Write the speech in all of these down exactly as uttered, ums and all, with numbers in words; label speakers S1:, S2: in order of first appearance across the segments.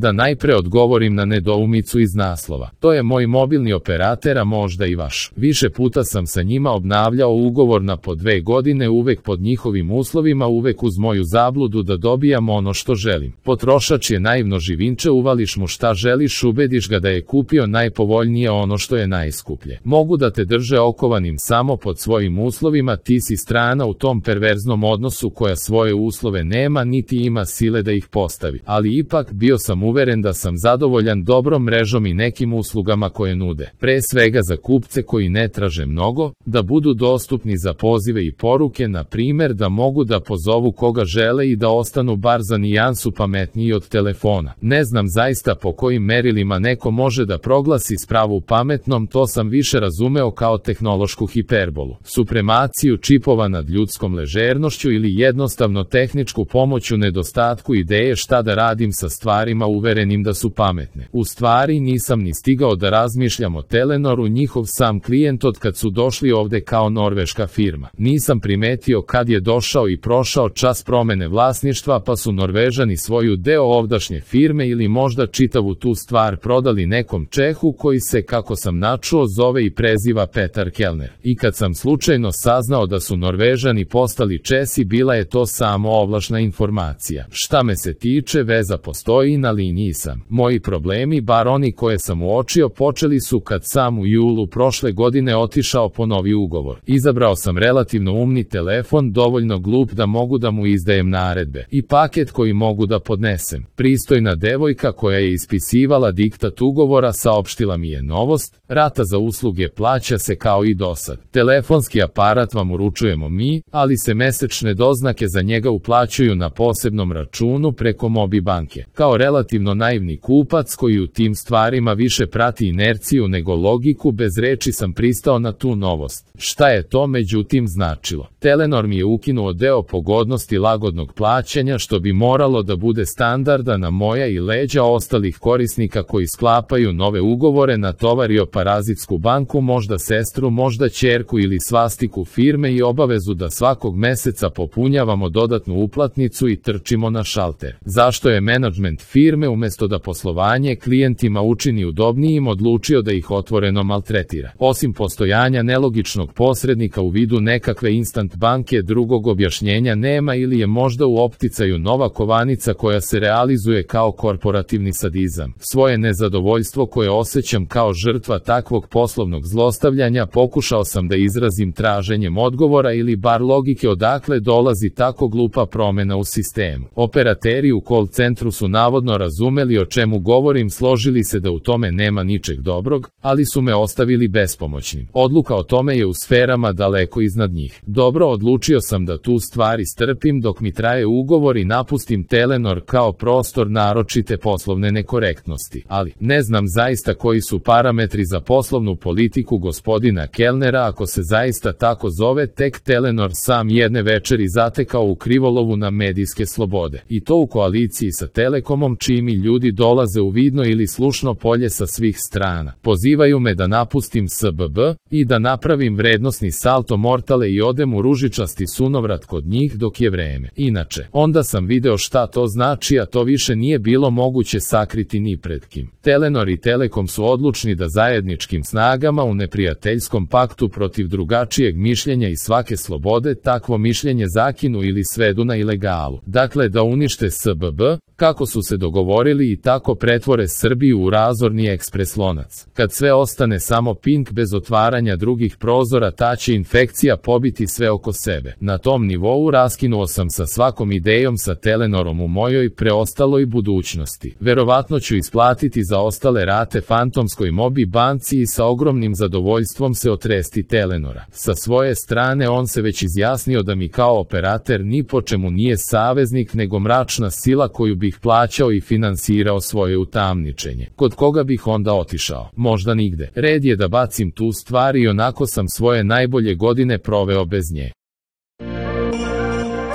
S1: Da najpre odgovorim na nedoumicu iz naslova. To je moj mobilni operater, a možda i vaš. Više puta sam sa njima obnavljao ugovor na po dve godine, uvek pod njihovim uslovima, uvek uz moju zabludu da dobijam ono što želim. Potrošač je naivno živinče, uvališ mu šta želiš, ubediš ga da je kupio najpovoljnije ono što je najskuplje. Mogu da te drže okovanim samo pod svojim uslovima, ti si strana u tom perverznom odnosu koja svoje uslove nema niti ima sile da ih postavi. Ali ipak bio sam uveren da sam zadovoljan dobrom mrežom i nekim uslugama koje nude. Pre svega za kupce koji ne traže mnogo, da budu dostupni za pozive i poruke, na primjer da mogu da pozovu koga žele i da ostanu bar za nijansu pametniji od telefona. Ne znam zaista po kojim merilima neko može da proglasi spravu pametnom, to sam više razumeo kao tehnološku hiperbolu, supremaciju čipova nad ljudskom ležernošću ili jednostavno tehničku pomoć u nedostatku ideje šta da radim sa stvarima uverenim da su pametne. U stvari nisam ni stigao da razmišljam o Telenoru, njihov sam klijent od kad su došli ovde kao norveška firma. Nisam primetio kad je došao i prošao čas promene vlasništva, pa su Norvežani svoju deo ovdašnje firme ili možda čitavu tu stvar prodali nekom Čehu koji se, kako sam načuo, zove i preziva Petar Kellner. I kad sam slučajno saznao da su Norvežani postali Česi, bila je to samo ovlašna informacija. Šta me se tiče, veza postoji, na liniji sam. Moji problemi, bar oni koje sam uočio, počeli su kad sam u julu prošle godine otišao po novi ugovor. Izabrao sam relativno umni telefon, dovoljno glup da mogu da mu izdajem naredbe, i paket koji mogu da podnesem. Pristojna devojka koja je ispisivala diktat ugovora saopštila mi je novost: rata za usluge plaća se kao i dosad. Telefonski aparat vam uručujemo mi, ali se mesečne doznake za njega uplaćuju na posebnom računu preko Mobi banke. Kao relativno naivni kupac koji u tim stvarima više prati inerciju nego logiku, bez reči sam pristao na tu novost. Šta je to međutim značilo? Telenor mi je ukinuo deo pogodnosti lagodnog plaćanja, što bi moralo da bude standarda na moja i leđa ostalih korisnika koji sklapaju nove ugovore, natovario parazitsku banku, možda sestru, možda ćerku ili svastiku firme i obavezu da svakog meseca popunjavamo dodatnu uplatnicu i trčimo na šalter. Zašto je menadžment firme umesto da poslovanje klijentima učini udobnijim odlučio da ih otvoreno maltretira? Osim postojanja nelogičnog posrednika u vidu nekakve instant banke, drugog objašnjenja nema, ili je možda u opticaju nova kovanica koja se realizuje kao korporativni sadizam. Svoje nezadovoljstvo koje osjećam kao žrtva takvog poslovnog zlostavljanja pokušao sam da izrazim traženjem odgovora ili bar logike odakle dolazi tako glupa promena u sistemu. Operateri u call centru su navodno razumeli o čemu govorim, složili se da u tome nema ničeg dobrog, ali su me ostavili bespomoćnim. Odluka o tome je u sferama daleko iznad njih. Dobro, odlučio sam da tu stvari strpim dok mi traje ugovor i napustim Telenor kao prostor naročite poslovne nekorektnosti. Ali, ne znam zaista koji su parametri za poslovnu politiku gospodina Kellnera, ako se zaista tako zove. Tek Telenor sam jedne večeri zatekao u krivolovu na medijske slobode. I to u koaliciji sa Telekomom, čiji mi ljudi dolaze u vidno ili slušno polje sa svih strana. Pozivaju me da napustim S B B i da napravim vrednosni salto mortale i odem u ružičasti sunovrat kod njih dok je vreme. Inače, onda sam video šta to znači, a to više nije bilo moguće sakriti ni pred kim. Telenor i Telekom su odlučni da zajedničkim snagama u neprijateljskom paktu protiv drugačijeg mišljenja i svake slobode takvo mišljenje zakinu ili svedu na ilegalu. Dakle, da unište S B B, kako su se dogovorili, i tako pretvore Srbiju u razorni ekspres lonac. Kad sve ostane samo pink bez otvaranja drugih prozora, ta će infekcija pobiti sve oko sebe. Na tom nivou raskinuo sam sa svakom idejom sa Telenorom u mojoj preostaloj budućnosti. Verovatno ću isplatiti za ostale rate fantomskoj Mobi banci i sa ogromnim zadovoljstvom se otresti Telenora. Sa svoje strane on se već izjasnio da mi kao operater ni po čemu nije saveznik nego mračna sila koju bih plaćao i finansirao svoje utamničenje. Kod koga bih onda otišao? Možda nigde. Red je da bacim tu stvar i onako sam svoje najbolje godine proveo bez nje.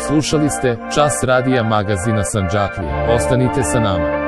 S1: Slušali ste Čas radija magazina Sandžaklija. Ostanite sa nama.